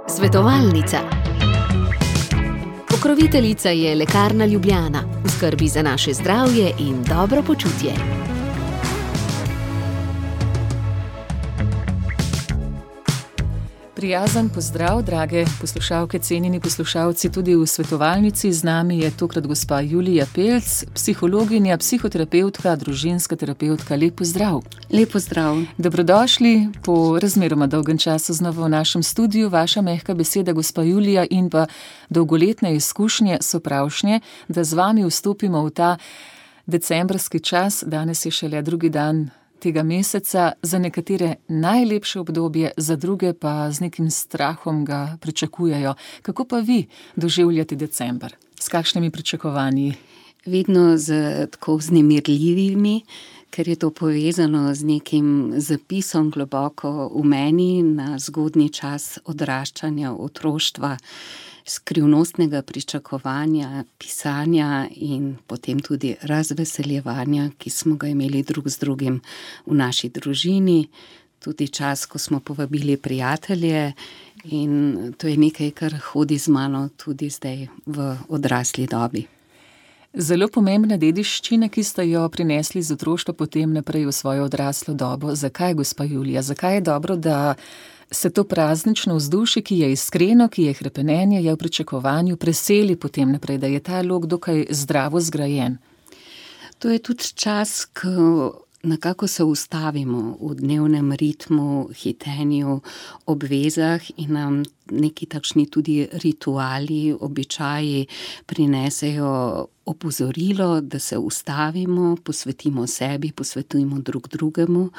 Svetovalnica. Pokroviteljica je Lekarna Ljubljana, v skrbi za naše zdravje in dobro počutje. Prijazen pozdrav, drage poslušalke, cenjeni poslušalci, tudi v svetovalnici. Z nami je tokrat gospa Julija Pelc, psihologinja, psihoterapevtka, družinska terapevtka. Lep pozdrav. Lep pozdrav. Dobrodošli po razmeroma dolgem času znova v našem studiu. Vaša mehka beseda, gospa Julija, in pa dolgoletne izkušnje so pravšnje, da z vami vstopimo v ta decembrski čas. Danes je šele drugi dan tega meseca, za nekatere najlepše obdobje, za druge pa z nekim strahom ga pričakujejo. Kako pa vi doživljate december? S kakšnimi pričakovanji? Vedno z tako vznemirljivimi, ker je to povezano z nekim zapisom globoko v meni na zgodnji čas odraščanja, otroštva, skrivnostnega pričakovanja, pisanja in potem tudi razveseljevanja, ki smo ga imeli drug z drugim v naši družini. Tudi čas, ko smo povabili prijatelje, in to je nekaj, kar hodi z mano tudi zdaj v odrasli dobi. Zelo pomembna dediščina, ki ste jo prinesli z otroštva potem naprej v svojo odraslo dobo. Zakaj, gospa Julija? Zakaj je dobro, da se to praznično vzdušje, ki je iskreno, ki je hrepenenje, je v pričakovanju, preseli potem naprej, da je ta lok dokaj zdravo zgrajen? To je tudi čas, ko nekako se ustavimo v dnevnem ritmu, hitenju, obvezah in nam neki takšni tudi rituali, običaji prinesejo opozorilo, da se ustavimo, posvetimo sebi, posvetujemo drug drugemu,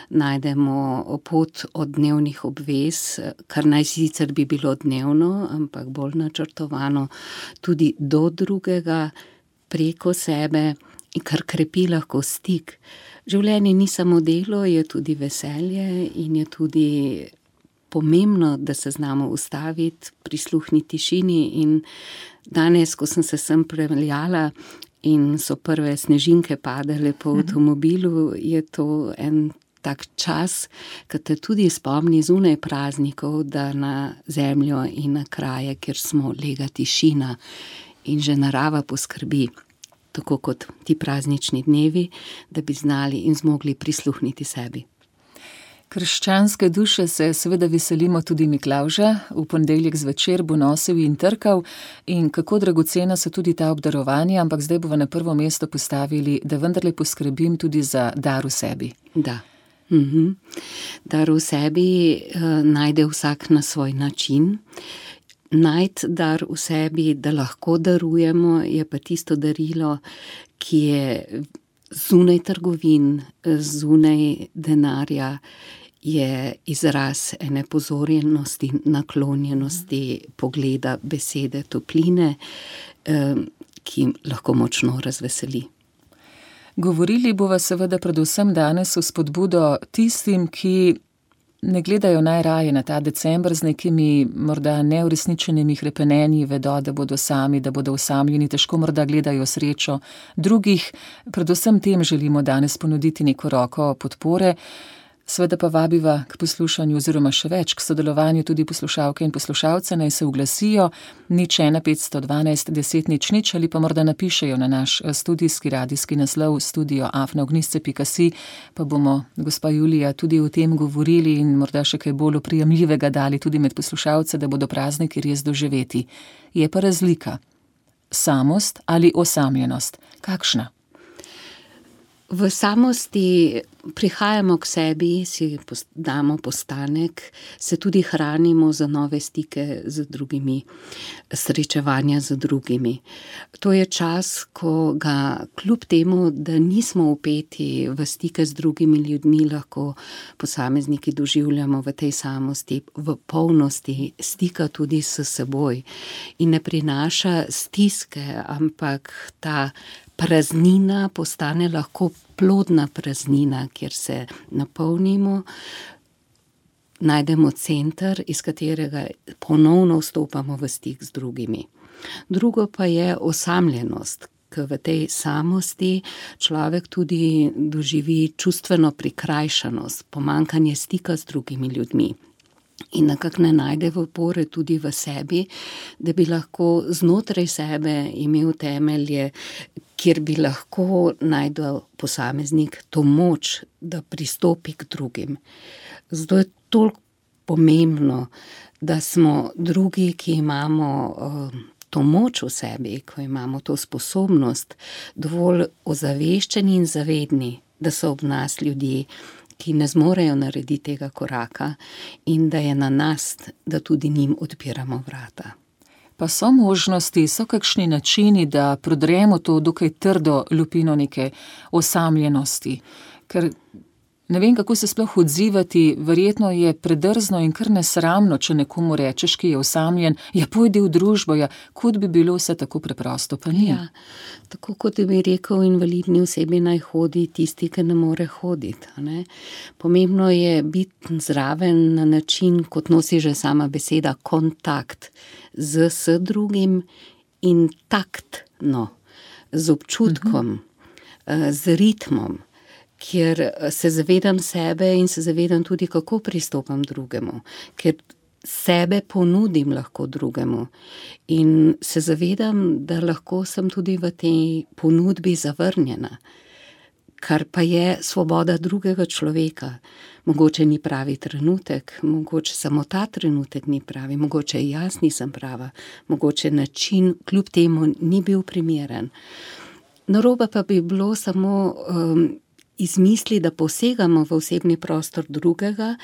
najdemo pot od dnevnih obvez, kar naj sicer bi bilo dnevno, ampak bolj načrtovano, tudi do drugega, preko sebe, in kar krepi lahko stik. Življenje ni samo delo, je tudi veselje in je tudi pomembno, da se znamo ustaviti, prisluhniti tišini. In danes, ko sem se sem prepeljala in so prve snežinke padale po avtomobilu, je to en tak čas, ki te tudi spomni zunaj praznikov, da na zemljo in na kraje, kjer smo, lega tišina in že narava poskrbi, tako kot ti praznični dnevi, da bi znali in zmogli prisluhniti sebi. Krščanske duše se seveda veselimo tudi Miklavža. V ponedeljek zvečer bo nosil in trkal, in kako dragocena so tudi ta obdarovanja, ampak zdaj bova na prvo mesto postavili, da vendarle poskrbim tudi za dar v sebi. Da. Dar v sebi najde vsak na svoj način. Najti dar v sebi, da lahko darujemo, je pa tisto darilo, ki je zunaj trgovin, zunaj denarja, je izraz ene pozorjenosti, naklonjenosti, pogleda, besede, topline, ki lahko močno razveseli. Govorili bova seveda predvsem danes v spodbudo tistim, ki ne gledajo najraje na ta december z nekimi morda neuresničenimi hrepenenji, vedo, da bodo sami, da bodo osamljeni, težko morda gledajo srečo drugih. Predvsem tem želimo danes ponuditi neko roko podpore. Seveda pa vabiva k poslušanju oziroma še več k sodelovanju tudi poslušalke in poslušalce, naj se oglasijo 01 512 10 00 ali pa morda napišejo na naš studijski radijski naslov studio@ognisce.si, pa bomo, gospa Julija, tudi o tem govorili in morda še kaj bolj oprijemljivega dali tudi med poslušalce, da bodo prazniki res doživeti. Je pa razlika. Samost ali osamljenost? Kakšna? V samosti prihajamo k sebi, si damo postanek, se tudi hranimo za nove stike z drugimi, srečevanja z drugimi. To je čas, ko ga kljub temu, da nismo vpeti v stike z drugimi ljudmi, lahko posamezniki doživljamo v tej samosti, v polnosti stika tudi s seboj. In ne prinaša stiske, ampak ta praznina postane lahko plodna praznina, kjer se napolnimo, najdemo center, iz katerega ponovno vstopamo v stik z drugimi. Drugo pa je osamljenost, ker v tej samosti človek tudi doživi čustveno prikrajšanost, pomanjkanje stika z drugimi ljudmi. in nekako ne najde opore tudi v sebi, da bi lahko znotraj sebe imel temelje, kjer bi lahko najdel posameznik to moč, da pristopi k drugim. Zato je toliko pomembno, da smo drugi, ki imamo to moč v sebi, ko imamo to sposobnost, dovolj ozaveščeni in zavedni, da so ob nas ljudje, ki ne zmorejo narediti tega koraka in da je na nas, da tudi njim odpiramo vrata. Pa so možnosti, so kakšni načini, da prodremo to dokaj trdo lupino neke osamljenosti, ker ne vem, kako se sploh odzivati, verjetno je predrzno in kar nesramno, če nekomu rečeš, ki je osamljen, ja, pojdi v družbo, ja, kot bi bilo vse tako preprosto, pa ni. Ja, tako kot bi rekel, invalidni osebi naj hodi tisti, ki ne more hoditi. Ne? Pomembno je biti zraven na način, kot nosi že sama beseda, kontakt s drugim in taktno, z občutkom, z ritmom, kjer se zavedam sebe in se zavedam tudi, kako pristopam drugemu, ker sebe ponudim lahko drugemu in se zavedam, da lahko sem tudi v tej ponudbi zavrnjena, kar pa je svoboda drugega človeka. Mogoče ni pravi trenutek, mogoče samo ta trenutek ni pravi, mogoče jaz nisem prava, mogoče način kljub temu ni bil primeren. Narobe pa bi bilo samo izmisli, da posegamo v osebni prostor drugega,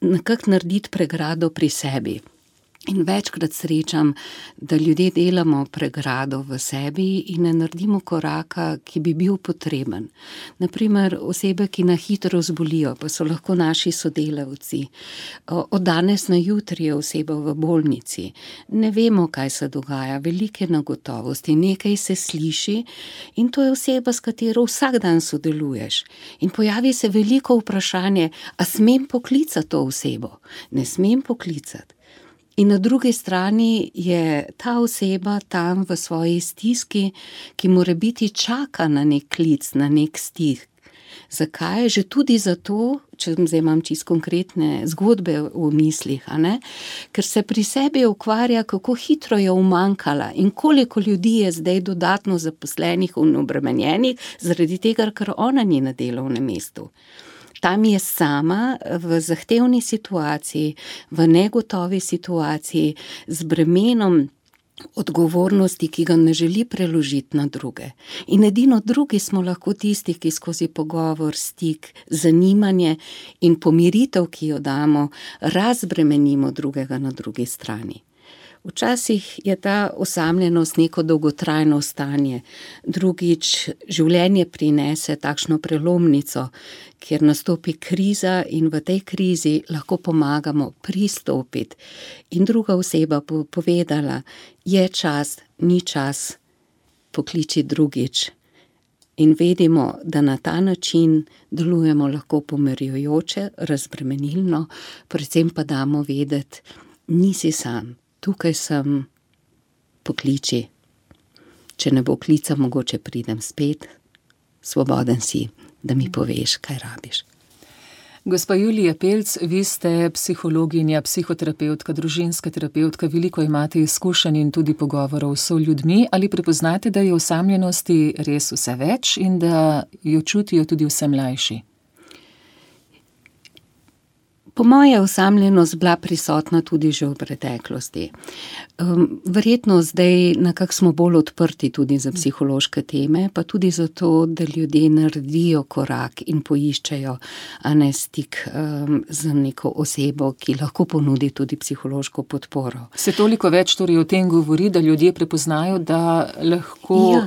nekako narediti pregrado pri sebi. In večkrat srečam, da ljudje delamo pregrado v sebi in ne naredimo koraka, ki bi bil potreben. Naprimer, osebe, ki na hitro zbolijo, pa so lahko naši sodelavci. Od danes na jutri je oseba v bolnici. Ne vemo, kaj se dogaja, velike negotovosti, nekaj se sliši in to je oseba, s katero vsak dan sodeluješ. In pojavi se veliko vprašanje, a smem poklicati to osebo? Ne smem poklicati. In na drugi strani je ta oseba tam v svoji stiski, ki morebiti čaka na nek klic, na nek stik. Zakaj? Že tudi zato, če zdaj imam čisto konkretne zgodbe v mislih, ker se pri sebi ukvarja, kako hitro je umanjkala in koliko ljudi je zdaj dodatno zaposlenih in obremenjenih, zaradi tega, ker ona ni na delovnem mestu. Tam je sama v zahtevni situaciji, v negotovi situaciji, z bremenom odgovornosti, ki ga ne želi preložiti na druge. In edino drugi smo lahko tisti, ki skozi pogovor, stik, zanimanje in pomiritev, ki jo damo, razbremenimo drugega na drugi strani. Včasih je ta osamljenost neko dolgotrajno stanje, drugič življenje prinese takšno prelomnico, kjer nastopi kriza in v tej krizi lahko pomagamo pristopiti. In druga oseba bo povedala, je čas, ni čas, pokliči drugič. In vedimo, da na ta način delujemo lahko pomirjujoče, razbremenilno, predvsem pa damo vedeti, nisi sam. Tukaj sem, pokliči. Če ne bo klica, mogoče pridem spet. Svoboden si, da mi poveš, kaj rabiš. Gospa Julija Pelc, vi ste psihologinja, psihoterapeutka, družinska terapeutka, veliko imate izkušenj in tudi pogovorov s ljudmi. Ali prepoznate, da je osamljenosti res vse več in da jo čutijo tudi vse mlajši? Po moje je osamljenost bila prisotna tudi že v preteklosti. Verjetno zdaj nekako smo bolj odprti tudi za psihološke teme, pa tudi zato, da ljudje naredijo korak in poiščejo stik z neko osebo, ki lahko ponudi tudi psihološko podporo. Se toliko več torej o tem govori, da ljudje prepoznajo, da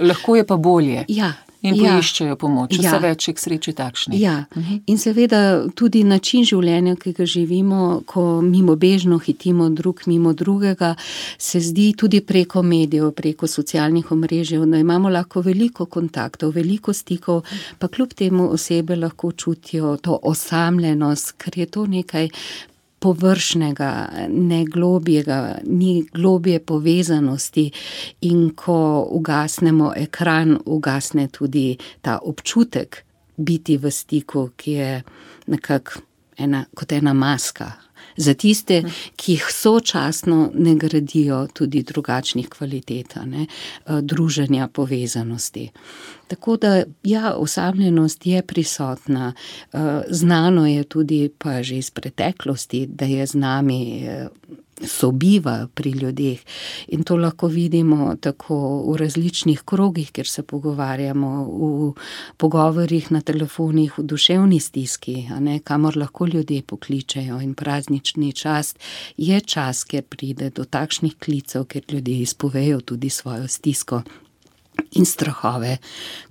lahko je pa bolje. Ja. In poiščejo pomoč, vse več je k sreči takšnih. Ja, in seveda tudi način življenja, ki ga živimo, ko mimobežno hitimo drug mimo drugega, se zdi tudi preko medijev, preko socialnih omrežij, da imamo lahko veliko kontaktov, veliko stikov, pa kljub temu osebe lahko čutijo to osamljenost, ker je to nekaj površnega, ne globjega, ni globje povezanosti in ko ugasnemo ekran, ugasne tudi ta občutek biti v stiku, ki je nekako kot ena maska, za tiste, ki jih sočasno ne gradijo tudi drugačnih kvalitet, druženja, povezanosti. Tako da, ja, osamljenost je prisotna. Znano je tudi pa že iz preteklosti, da je z nami sobiva pri ljudeh in to lahko vidimo tako v različnih krogih, kjer se pogovarjamo, v pogovorih na telefonih, v duševni stiski, kamor lahko ljudje pokličejo, in praznični čas je čas, kjer pride do takšnih klicev, kjer ljudje izpovejo tudi svojo stisko in strahove,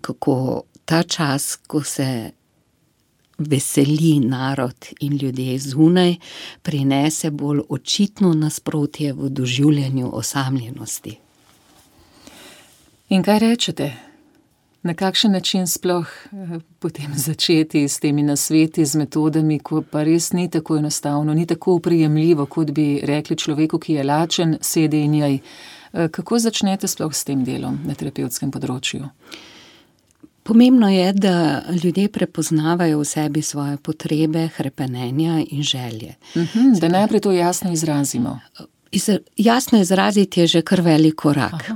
kako ta čas, ko se veseli narod in ljudje zunaj, prinese bolj očitno nasprotje v doživljanju osamljenosti. In kaj rečete? Na kakšen način sploh potem začeti s temi nasveti, z metodami, ko pa res ni tako enostavno, ni tako oprijemljivo, kot bi rekli človeku, ki je lačen, sedi in jej. Kako začnete sploh s tem delom na terapevtskem področju? Pomembno je, da ljudje prepoznavajo v sebi svoje potrebe, hrepenenja in želje. Da najprej to jasno izrazimo. Jasno izraziti je že kar velik korak.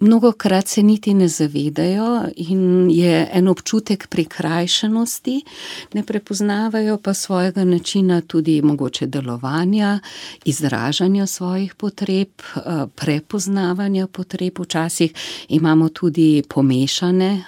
Mnogokrat se niti ne zavedajo in je en občutek prikrajšanosti, ne prepoznavajo pa svojega načina tudi mogoče delovanja, izražanja svojih potreb, prepoznavanja potreb. Včasih imamo tudi pomešane,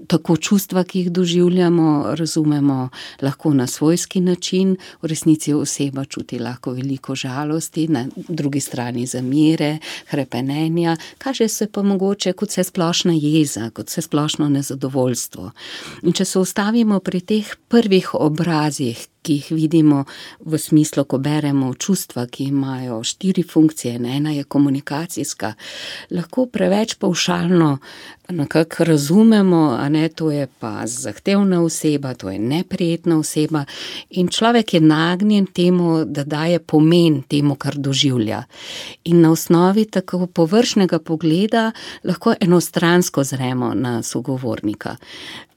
tako čustva, ki jih doživljamo, razumemo lahko na svojski način, v resnici oseba čuti lahko veliko žalosti, na drugi strani zamere, hrepenenja, kaže se pa mogoče kot vse splošna jeza, kot vse splošno nezadovoljstvo. In če se ustavimo pri teh prvih obrazih, ki jih vidimo v smislu, ko beremo čustva, ki imajo 4 funkcije, ena je komunikacijska, lahko preveč pavšalno nekako razumemo, to je pa zahtevna oseba, to je neprijetna oseba, in človek je nagnjen temu, da daje pomen temu, kar doživlja. In na osnovi tako površnega pogleda lahko enostransko zremo na sogovornika.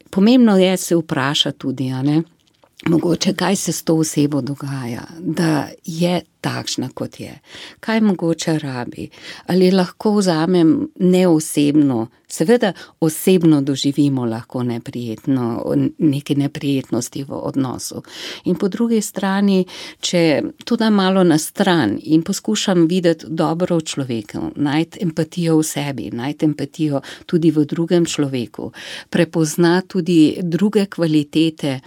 Pomembno je se vprašati tudi, mogoče kaj se s to osebo dogaja, da je takšna, kot je. Kaj mogoče rabi? Ali lahko vzamem neosebno, seveda osebno doživimo lahko neprijetno, neke neprijetnosti v odnosu. In po drugi strani, če to dam malo na stran in poskušam videti dobro v človeku, najti empatijo v sebi, najti empatijo tudi v drugem človeku, prepoznati tudi druge kvalitete,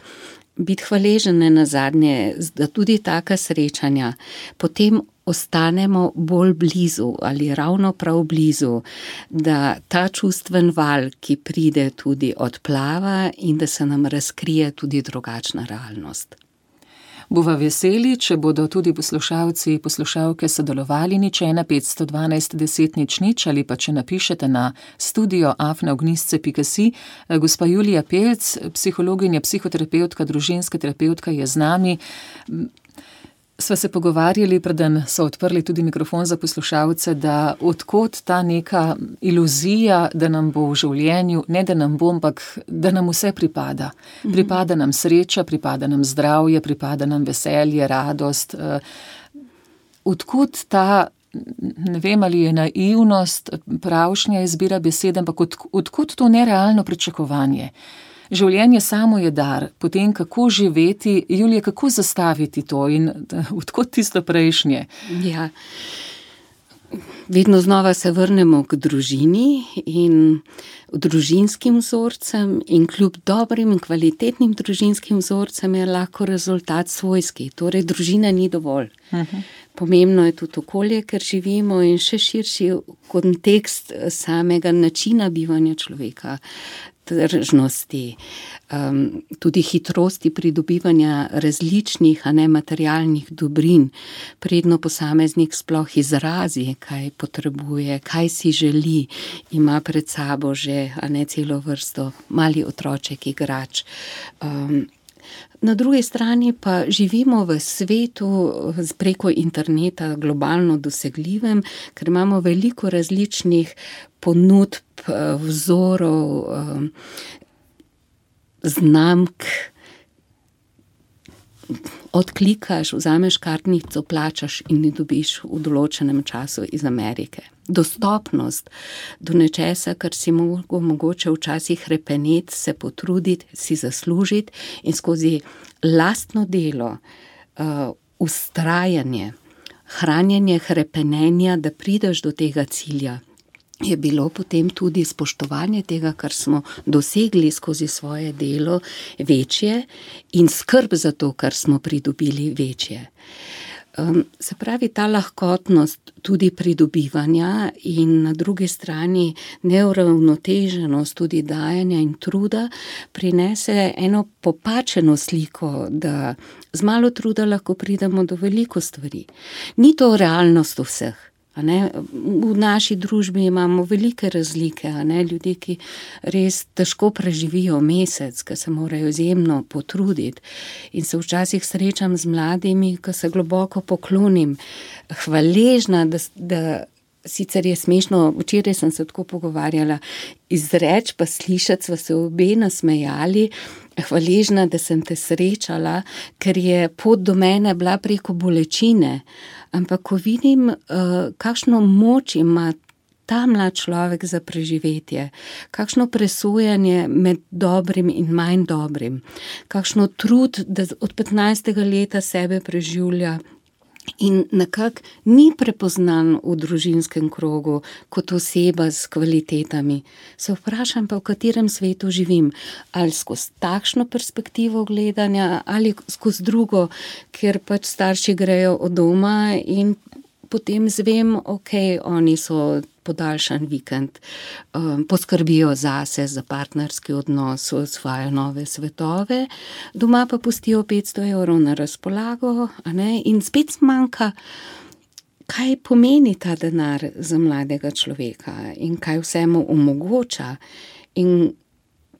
biti hvaležen nazadnje, da tudi taka srečanja potem ostanemo bolj blizu ali ravno prav blizu, da ta čustven val, ki pride, tudi odplava in da se nam razkrije tudi drugačna realnost. Bova veseli, če bodo tudi poslušalci, poslušalke sodelovali, 01512 10 00 ali pa če napišete na studio@ognjisce.si. Gospa Julija Pelc, psihologinja, psihoterapeutka, družinska terapeutka je z nami. Sva se pogovarjali, preden so odprli tudi mikrofon za poslušalce, da odkot ta neka iluzija, da nam bo v življenju, ne da nam bo, ampak da nam vse pripada. Pripada nam sreča, pripada nam zdravje, pripada nam veselje, radost. Odkot ta, ne vem, ali je naivnost, pravšnja izbira besede, ampak odkot to nerealno pričakovanje? Življenje samo je dar, potem kako živeti, Julija, kako zastaviti to in odkot tisto prejšnje? Ja, vedno znova se vrnemo k družini in družinskim vzorcem in kljub dobrim in kvalitetnim družinskim vzorcem je lahko rezultat svojski, torej družina ni dovolj. Pomembno je tudi okolje, ker živimo, in še širši kontekst samega načina bivanja človeka, tržnosti, tudi hitrosti pridobivanja različnih, materialnih dobrin, predno posameznik sploh izrazi, kaj potrebuje, kaj si želi, ima pred sabo že celo vrsto mali otroček igrač. Na drugi strani pa živimo v svetu preko interneta globalno dosegljivem, ker imamo veliko različnih ponudb, vzorov, znamk, odklikaš, vzameš kartnico, plačaš in jo dobiš v določenem času iz Amerike. Dostopnost do nečesa, kar si mogoče včasih hrepeneti, se potruditi, si zaslužiti in skozi lastno delo, vztrajanje, hranjenje hrepenenja, da prideš do tega cilja, je bilo potem tudi spoštovanje tega, kar smo dosegli skozi svoje delo, večje in skrb za to, kar smo pridobili, večje. Se pravi, ta lahkotnost tudi pridobivanja in na drugi strani neuravnoteženost tudi dajanja in truda prinese eno popačeno sliko, da z malo truda lahko pridemo do veliko stvari. Ni to realnost vseh. V naši družbi imamo velike razlike, ljudje, ki res težko preživijo mesec, ki se morajo izjemno potruditi in se včasih srečam z mladimi, ki se globoko poklonim, hvaležna, da sicer je smešno, včeraj sem se tako pogovarjala, izreč pa slišati, sva se obe nasmejali, hvaležna, da sem te srečala, ker je pot do mene bila preko bolečine. Ampak ko vidim, kakšno moč ima ta mlad človek za preživetje, kakšno presojanje med dobrim in manj dobrim, kakšno trud, da od 15. leta sebe preživlja in nekako ni prepoznan v družinskem krogu kot oseba s kvalitetami. Se vprašam pa, v katerem svetu živim, ali skozi takšno perspektivo gledanja ali skozi drugo, kjer pač starši grejo od doma in potem zvem, oni so podaljšan vikend, poskrbijo zase, za partnerski odnos, osvajajo nove svetove, doma pa pustijo 500 evrov na razpolago, in spet zmanjka, kaj pomeni ta denar za mladega človeka in kaj vse mu omogoča in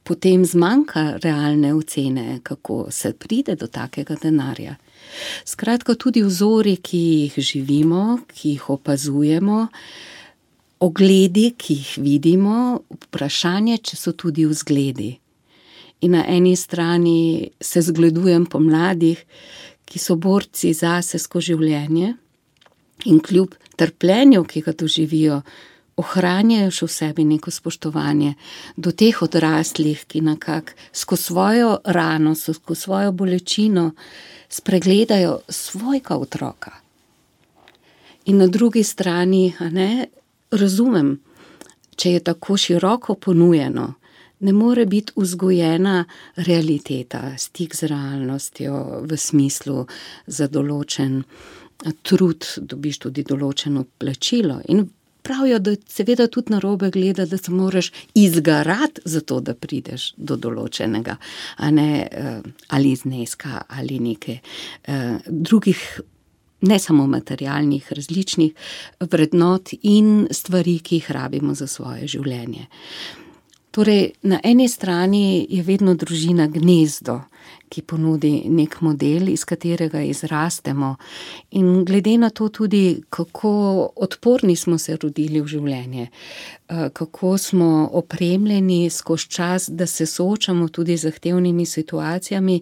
potem zmanjka realne ocene, kako se pride do takega denarja. Skratka, tudi vzori, ki jih živimo, ki jih opazujemo, ogledi, ki jih vidimo, vprašanje, če so tudi vzgledi. In na eni strani se zgledujem po mladih, ki so borci zase skozi življenje in kljub trpljenju, ki ga doživijo, ohranjajo še v sebi neko spoštovanje do teh odraslih, ki nekako skozi svojo rano, skozi svojo bolečino spregledajo svojega otroka. In na drugi strani, razumem, če je tako široko ponujeno, ne more biti vzgojena realiteta, stik z realnostjo v smislu za določen trud, dobiš tudi določeno plačilo. In pravijo, da seveda tudi narobe gleda, da se moraš izgarati za to, da prideš do določenega, ali zneska, ali neke drugih, ne samo materialnih, različnih vrednot in stvari, ki jih rabimo za svoje življenje. Torej, na eni strani je vedno družina gnezdo, ki ponudi nek model, iz katerega izrastemo in glede na to tudi, kako odporni smo se rodili v življenje, kako smo opremljeni skozi čas, da se soočamo tudi z zahtevnimi situacijami,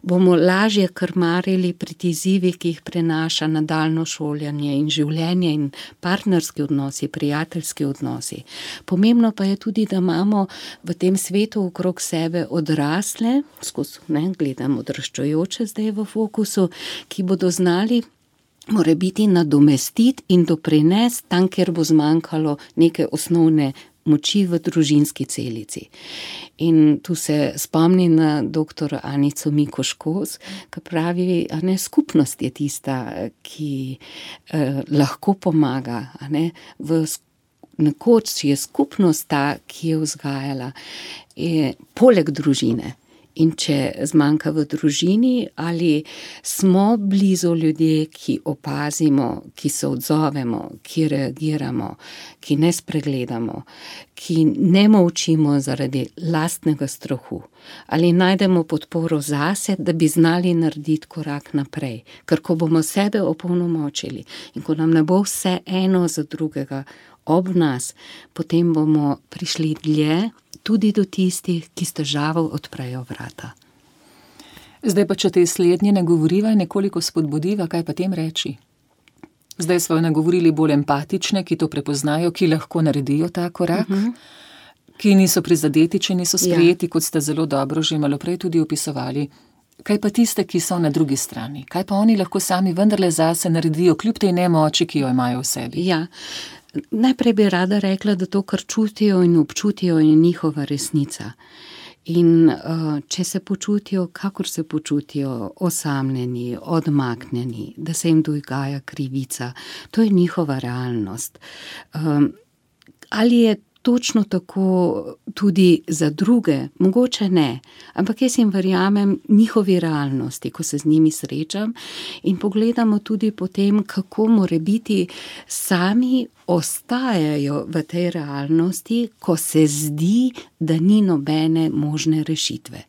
bomo lažje krmarili pred izzivi, ki jih prenaša nadaljnje šolanje in življenje in partnerski odnosi, prijateljski odnosi. Pomembno pa je tudi, da imamo v tem svetu okrog sebe odrasle, gledam odraščajoče zdaj v fokusu, ki bodo znali morebiti nadomestiti in doprinesti tam, kjer bo zmanjkalo neke osnovne moči v družinski celici. In tu se spomnim na dr. Anico Mikoš Kos, ki pravi, skupnost je tista, ki lahko pomaga, nekoč je skupnost ta, ki je vzgajala, poleg družine. In če zmanjka v družini, ali smo blizu ljudje, ki opazimo, ki se odzovemo, ki reagiramo, ki ne spregledamo, ki ne molčimo zaradi lastnega strahu, ali najdemo podporo zase, da bi znali narediti korak naprej. Ker ko bomo sebe opolnomočili in ko nam ne bo vse eno za drugega ob nas, potem bomo prišli dlje, tudi do tistih, ki s težavo odprejo vrata. Zdaj pa, če te slednje nagovoriva in nekoliko spodbudiva, kaj pa tem reči? Zdaj smo nagovorili bolj empatične, ki to prepoznajo, ki lahko naredijo ta korak, ki niso prizadeti, če niso sprejeti, kot ste zelo dobro že malo prej tudi opisovali. Kaj pa tiste, ki so na drugi strani? Kaj pa oni lahko sami vendarle zase naredijo, kljub tej nemoči, ki jo imajo v sebi? Ja, najprej bi rada rekla, da to, kar čutijo in občutijo, je njihova resnica. In če se počutijo, kakor se počutijo, osamljeni, odmaknjeni, da se jim dogaja krivica, to je njihova realnost. Ali je točno tako tudi za druge? Mogoče ne, ampak jaz jim verjamem njihovi realnosti, ko se z njimi srečam in pogledamo tudi potem, kako morebiti sami ostajajo v tej realnosti, ko se zdi, da ni nobene možne rešitve.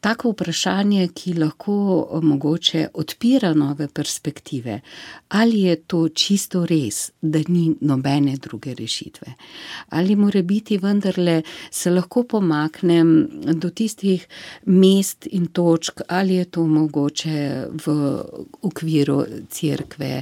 Tako vprašanje, ki lahko mogoče odpira nove perspektive, ali je to čisto res, da ni nobene druge rešitve? Ali more biti vendarle se lahko pomaknem do tistih mest in točk, ali je to mogoče v okviru cerkve,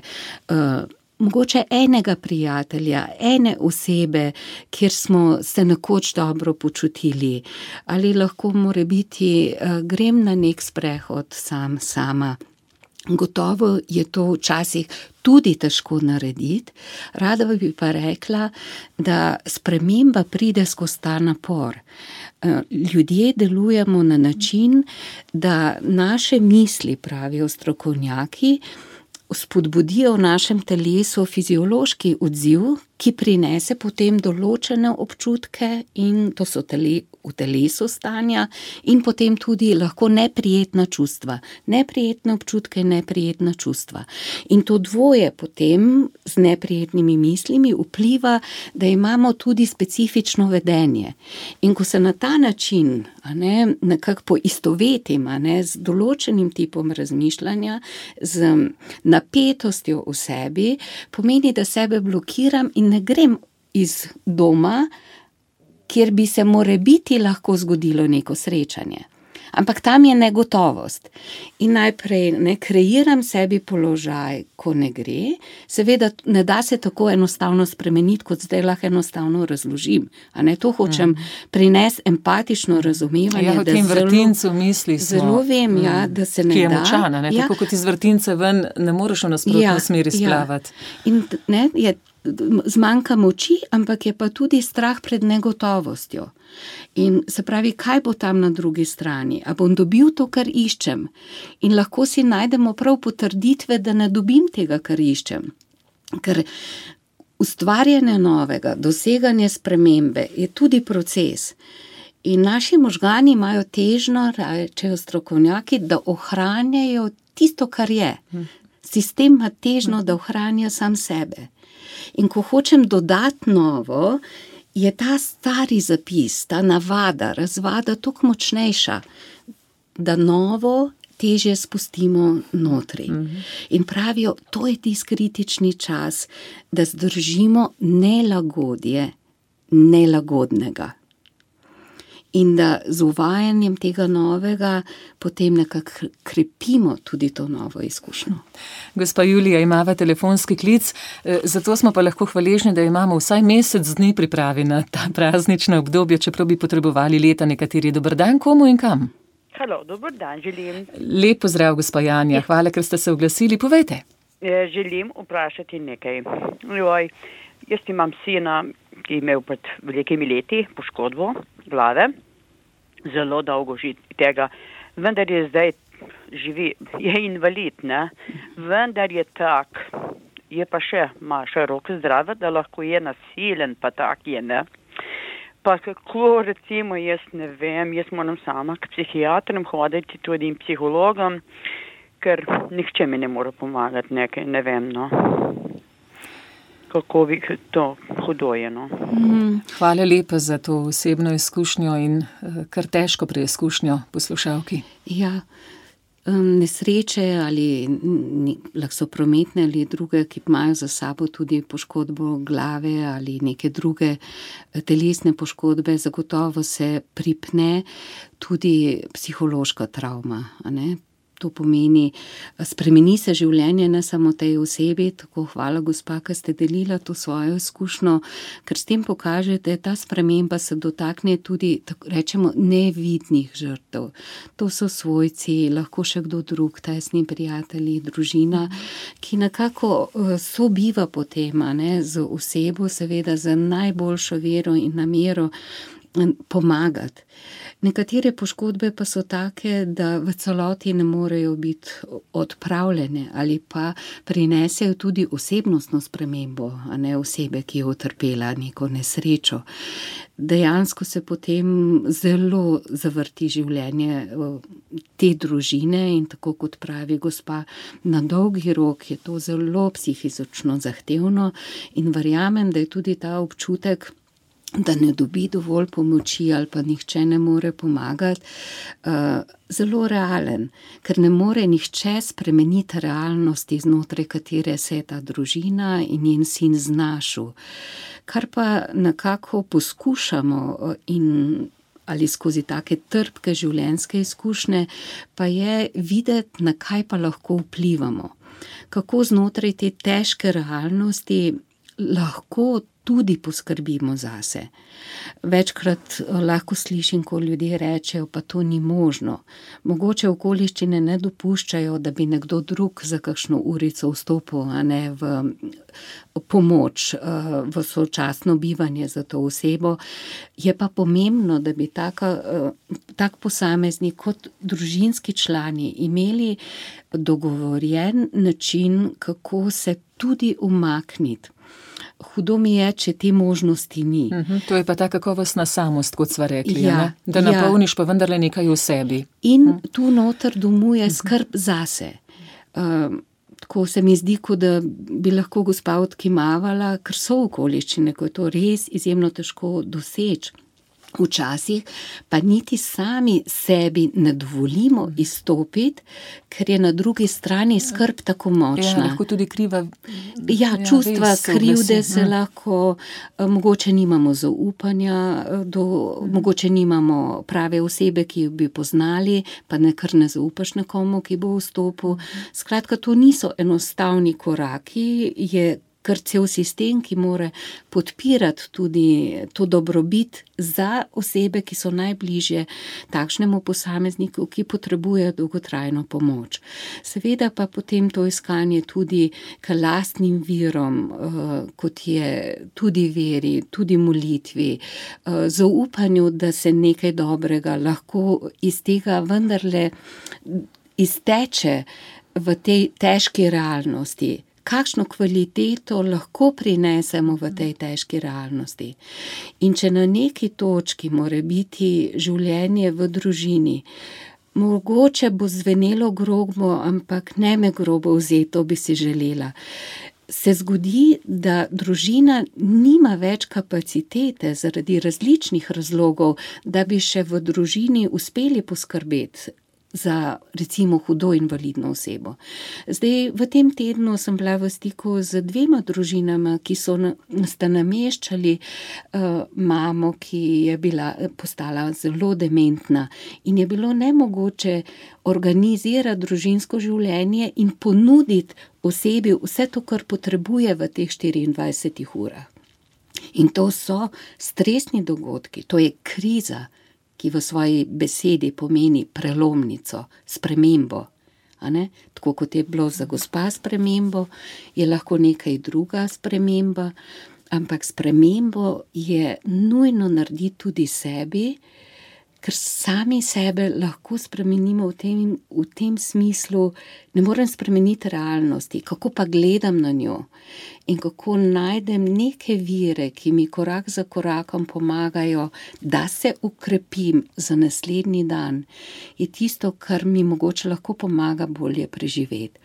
mogoče enega prijatelja, ene osebe, kjer smo se nekoč dobro počutili, ali lahko morebiti grem na nek sprehod sama. Gotovo je to včasih tudi težko narediti, rada bi pa rekla, da sprememba pride skozi ta napor. Ljudje delujemo na način, da naše misli, pravijo strokovnjaki, spodbudijo v našem telesu fiziološki odziv, ki prinese potem določene občutke in to so v telesu stanja in potem tudi lahko neprijetna čustva. Neprijetne občutke, neprijetna čustva. In to dvoje potem z neprijetnimi mislimi vpliva, da imamo tudi specifično vedenje. In ko se na ta način nekako poistovetim z določenim tipom razmišljanja, z napetostjo v sebi, pomeni, da sebe blokiram in ne grem iz doma, kjer bi se morebiti lahko zgodilo neko srečanje. Ampak tam je negotovost. In najprej kreiram sebi položaj, ko ne gre. Seveda ne da se tako enostavno spremeniti, kot zdaj lahko enostavno razložim. To hočem prinesti empatično razumevanje. Ja, v tem vrtincu misli smo. Zelo vem, da se ne da. Ki je močana, tako kot iz vrtince ven ne moreš v nasprotno smeri splavati. In je zmanjka moči, ampak je pa tudi strah pred negotovostjo. In se pravi, kaj bo tam na drugi strani? A bom dobil to, kar iščem? In lahko si najdemo prav potrditve, da ne dobim tega, kar iščem. Ker ustvarjanje novega, doseganje spremembe je tudi proces. In naši možgani imajo težnjo, rečejo strokovnjaki, da ohranjajo tisto, kar je. Sistem ima težnjo, da ohranja sam sebe. In ko hočem dodati novo, je ta stari zapis, ta navada, razvada toliko močnejša, da novo težje spustimo notri. In pravijo, to je tisti kritični čas, da zdržimo nelagodje nelagodnega. In da z uvajanjem tega novega potem nekako krepimo tudi to novo izkušnjo. Gospa Julija, imava telefonski klic, zato smo pa lahko hvaležni, da imamo vsaj mesec dni pripravi na ta praznična obdobja, čeprav bi potrebovali leta nekateri. Dober dan, komu in kam? Halo, dober dan, želim. Lep pozdrav, gospa Janja, hvala, ker ste se oglasili, povejte. Želim vprašati nekaj. Jaz imam sina, ki je imel pred velikimi leti poškodbo glave, zelo dolgo že tega, vendar je zdaj živi, je invalid, vendar je tak, je pa ima še roke zdrave, da lahko je nasilen, pa tak je, Pa kako recimo, jaz ne vem, jaz moram sama k psihiatrom hoditi, tudi in psihologom, ker nihče mi ne more pomagati nekaj, ne vem, kako bi to hudo je, Hvala lepa za to osebno izkušnjo in kar težko preizkušnjo poslušalki. Ja, nesreče ali lahko so prometne ali druge, ki imajo za sabo tudi poškodbo glave ali neke druge telesne poškodbe, zagotovo se pripne tudi psihološka travma, a ne? To pomeni, spremeni se življenje ne samo tej osebi, tako hvala gospa, ki ste delila to svojo izkušnjo, ker s tem pokažete, ta sprememba se dotakne tudi, tako rečemo, nevidnih žrtev. To so svojci, lahko še kdo drug, tesni prijatelji, družina, ki nekako sobiva potem, a ne, z osebo, seveda z najboljšo vero in namero pomagati. Nekatere poškodbe pa so take, da v celoti ne morejo biti odpravljene ali pa prinesejo tudi osebnostno spremembo, a ne osebe, ki je utrpela neko nesrečo. Dejansko se potem zelo zavrti življenje te družine in tako kot pravi gospa, na dolgi rok je to zelo psihično zahtevno in verjamem, da je tudi ta občutek, da ne dobi dovolj pomoči ali pa nihče ne more pomagati, zelo realen, ker ne more nihče spremeniti realnosti, znotraj katere se je ta družina in njen sin znašel. Kar pa nekako poskušamo ali skozi take trpke življenjske izkušnje, pa je videti, na kaj pa lahko vplivamo. Kako znotraj te težke realnosti lahko tudi poskrbimo zase. Večkrat lahko slišim, ko ljudje rečejo, pa to ni možno. Mogoče okoliščine ne dopuščajo, da bi nekdo drug za kakšno urico vstopil, a ne v pomoč, v sočasno bivanje za to osebo. Je pa pomembno, da bi tak posameznik kot družinski člani imeli dogovorjen način, kako se tudi umakniti. Hudo mi je, če te možnosti ni. To je pa ta kakovostna samost, kot sva rekli, da napolniš pa vendarle nekaj v sebi. In tu noter domuje skrb zase. Tako se mi zdi, kot da bi lahko gospa odkimavala, ker so okoliščine, ko je to res izjemno težko doseči. Včasih pa niti sami sebi ne dovolimo izstopiti, ker je na drugi strani skrb tako močna. Lahko tudi kriva. Čustva krivde se lahko, mogoče nimamo zaupanja, mogoče nimamo prave osebe, ki jo bi poznali, pa kar ne zaupaš nekomu, ki bo vstopil. Skratka, to niso enostavni koraki, je kar cel sistem, ki mora podpirati tudi to dobrobit za osebe, ki so najbližje takšnemu posamezniku, ki potrebuje dolgotrajno pomoč. Seveda pa potem to iskanje tudi k lastnim virom, kot je tudi veri, tudi molitvi, zaupanju, da se nekaj dobrega lahko iz tega vendarle izteče v tej težki realnosti. Kakšno kvaliteto lahko prinesemo v tej težki realnosti. In če na neki točki mora biti življenje v družini, mogoče bo zvenelo grobo, ampak ne me grobo vzeti, to bi si želela. Se zgodi, da družina nima več kapacitete zaradi različnih razlogov, da bi še v družini uspeli poskrbeti za recimo hudo invalidno osebo. Zdaj, v tem tednu sem bila v stiku z 2 družinama, ki sta nameščali mamo, ki je postala zelo dementna in je bilo nemogoče organizirati družinsko življenje in ponuditi osebi vse to, kar potrebuje v teh 24 urah. In to so stresni dogodki, to je kriza, ki v svoji besedi pomeni prelomnico, spremembo. Tako kot je bilo za gospa spremembo, je lahko nekaj druga sprememba, ampak spremembo je nujno narediti tudi sebi, ker sami sebe lahko spremenimo v tem smislu, ne morem spremeniti realnosti, kako pa gledam na njo in kako najdem neke vire, ki mi korak za korakom pomagajo, da se ukrepim za naslednji dan, je tisto, kar mi mogoče lahko pomaga bolje preživeti.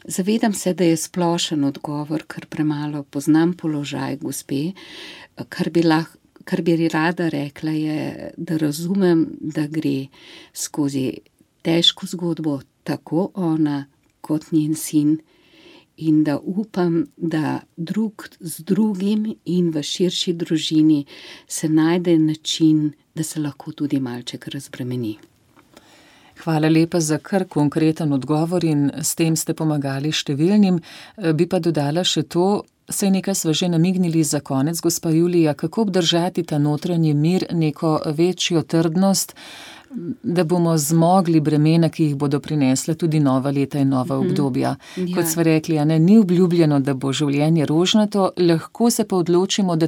Zavedam se, da je splošen odgovor, ker premalo poznam položaj gospe, kar bi rada rekla je, da razumem, da gre skozi težko zgodbo, tako ona kot njen sin, in da upam, da drug z drugim in v širši družini se najde način, da se lahko tudi malček razbremeni. Hvala lepa za kar konkreten odgovor in s tem ste pomagali številnim. Bi pa dodala še to, saj nekaj sva že namignili za konec, gospa Julija, kako obdržati ta notranji mir, neko večjo trdnost, da bomo zmogli bremena, ki jih bodo prinesla tudi nova leta in nova obdobja. Kot sva rekli, ni obljubljeno, da bo življenje rožnato, lahko se pa odločimo, da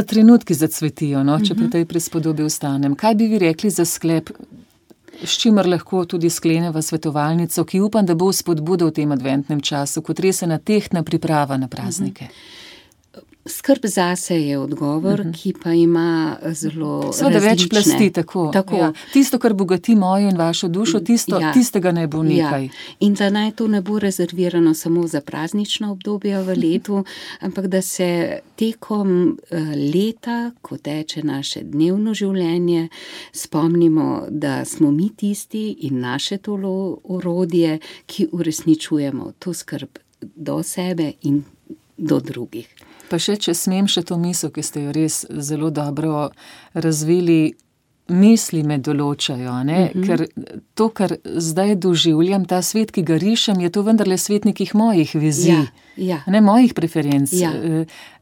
trenutki zacvetijo, če pri tej prispodobi ostanem. Kaj bi vi rekli za sklep, s čimer lahko tudi skleneva svetovalnico, ki upam, da bo spodbuda v tem adventnem času, kot res ena tehtna priprava na praznike? Skrb zase je odgovor, ki pa ima zelo Seveda različne. Več plasti, tako. Ja. Tisto, kar bogati mojo in vašo dušo, tistega naj bo nekaj. In da naj to ne bo rezervirano samo za praznična obdobja v letu, ampak da se tekom leta, ko teče naše dnevno življenje, spomnimo, da smo mi tisti in naše tolo orodje, ki uresničujemo to skrb do sebe in do drugih. Pa še, če smem še to misel, ki ste jo res zelo dobro razvili, misli me določajo, ker to, kar zdaj doživljam, ta svet, ki ga rišem, je to vendarle svet nekih mojih vizij, mojih preferenc.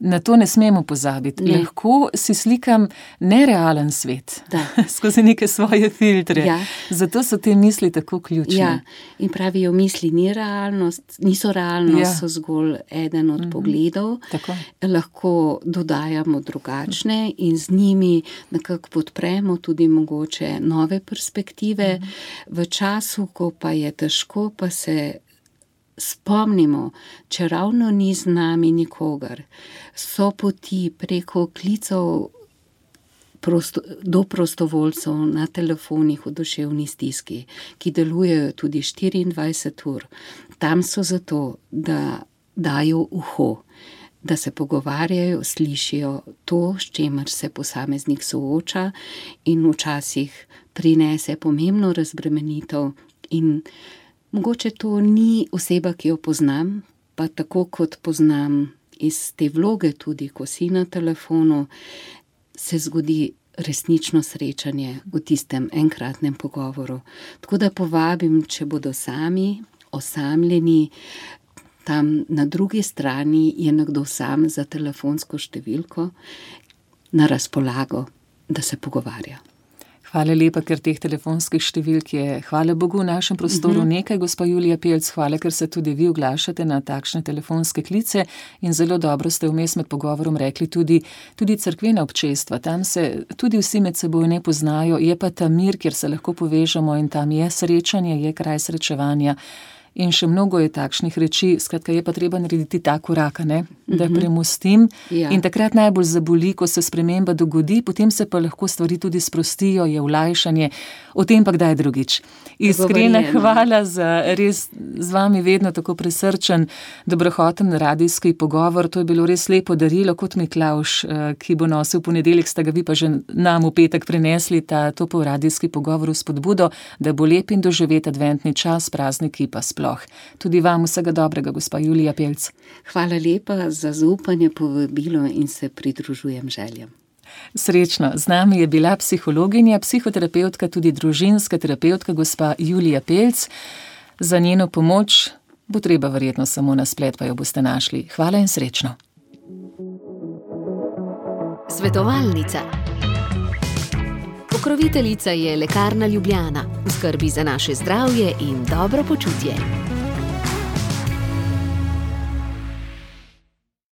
Na to ne smemo pozabiti. Lahko si slikam nerealen svet, skozi neke svoje filtre. Zato so te misli tako ključne. In pravijo, misli niso realnost, so zgolj eden od pogledov. Tako. Lahko dodajamo drugačne in z njimi nekako podpremo tudi mogoče nove perspektive. V času, ko pa je težko, pa se spomnimo, če ravno ni z nami nikogar, so poti preko klicev do prostovoljcev na telefonih v duševni stiski, ki delujejo tudi 24 ur. Tam so zato, da dajo uho, da se pogovarjajo, slišijo to, s čemer se posameznik sooča in včasih prinese pomembno razbremenitev. In mogoče to ni oseba, ki jo poznam, pa tako kot poznam iz te vloge tudi, ko si na telefonu, se zgodi resnično srečanje v tistem enkratnem pogovoru. Tako da povabim, če bodo sami, osamljeni, tam na drugi strani je nekdo sam za telefonsko številko na razpolago, da se pogovarja. Hvala lepa, ker teh telefonskih številk je, hvala Bogu, v našem prostoru nekaj, gospa Julija Pelc, hvala, ker se tudi vi oglašate na takšne telefonske klice in zelo dobro ste vmes med pogovorom rekli tudi cerkvena občestva. Tam se tudi vsi med seboj ne poznajo, je pa ta mir, kjer se lahko povežemo in tam je srečanje, je kraj srečevanja. In še mnogo je takšnih reči, skratka je pa treba narediti ta korak, da premostim. In takrat najbolj zaboli, ko se sprememba dogodi, potem se pa lahko stvari tudi sprostijo, je olajšanje, o tem pa kdaj drugič. Iskrena hvala za res z vami vedno tako presrčen, dobrohoten radijski pogovor, to je bilo res lepo darilo, kot Miklavž, ki bo nosil ponedeljek, sta ga vi pa že nam v petek prinesli, ta topel radijski pogovor v spodbudo, da bo lep in doživet adventni čas, prazniki pa sploh. Tudi vam vsega dobrega, gospa Julija Pelc. Hvala lepa za zaupanje, povabilo in se pridružujem željam. Srečno, z nami je bila psihologinja, psihoterapeutka, tudi družinska terapeutka, gospa Julija Pelc. Za njeno pomoč bo treba verjetno samo na splet, pa jo boste našli. Hvala in srečno. Svetovalnica. Pokroviteljica je Lekarna Ljubljana, v skrbi za naše zdravje in dobro počutje.